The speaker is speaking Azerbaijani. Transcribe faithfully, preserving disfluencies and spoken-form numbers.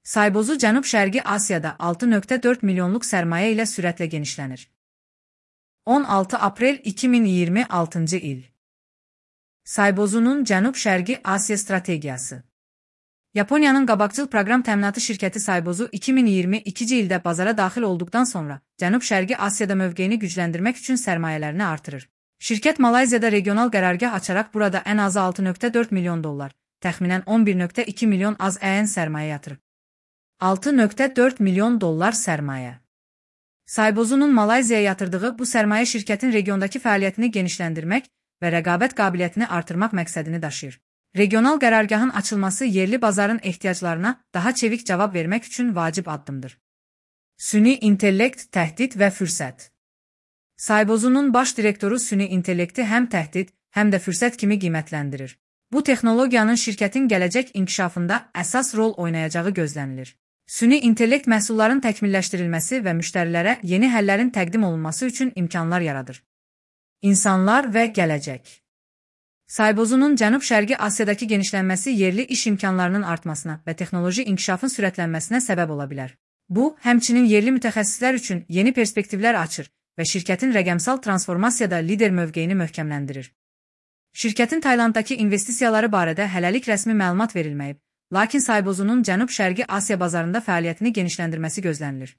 Saybozu Cənub-Şərqi Asiyada altı nöqtə dörd milyonluq sərmayə ilə sürətlə genişlənir. on altı aprel iki min iyirmi altıncı il. Saybozunun Cənub-Şərqi Asiya strategiyası. Yaponiyanın qabaqcıl proqram təminatı şirkəti Saybozu iki min iyirmi ikinci ildə bazara daxil olduqdan sonra Cənub-Şərqi Asiyada mövqeyini gücləndirmək üçün sərmayələrini artırır. Şirkət Malayziyada regional qərargah açaraq burada ən azı altı nöqtə dörd milyon dollar, təxminən on bir nöqtə iki milyon az əyən sərmayə yatırıb. altı nöqtə dörd milyon dollar sərmayə. Saybozunun Malayziyaya yatırdığı bu sərmayə şirkətin regiondakı fəaliyyətini genişləndirmək və rəqabət qabiliyyətini artırmaq məqsədini daşıyır. Regional qərargahın açılması yerli bazarın ehtiyaclarına daha çevik cavab vermək üçün vacib addımdır. Süni intellekt, təhdid və fürsət. Saybozunun baş direktoru süni intellekti həm təhdid, həm də fürsət kimi qiymətləndirir. Bu texnologiyanın şirkətin gələcək inkişafında əsas rol oynayacağı gözlənilir. Süni intellekt məhsulların təkmilləşdirilməsi və müştərilərə yeni həllərin təqdim olunması üçün imkanlar yaradır. İnsanlar və gələcək. Saybozunun Cənub-Şərqi Asiyadakı genişlənməsi yerli iş imkanlarının artmasına və texnoloji inkişafın sürətlənməsinə səbəb ola bilər. Bu, həmçinin yerli mütəxəssislər üçün yeni perspektivlər açır və şirkətin rəqəmsal transformasiyada lider mövqeyini möhkəmləndirir. Şirkətin Taylanddakı investisiyaları barədə hələlik rəsmi məlumat verilməyib, lakin Saybozunun Cənub-Şərqi Asiya bazarında fəaliyyətini genişləndirməsi gözlənilir.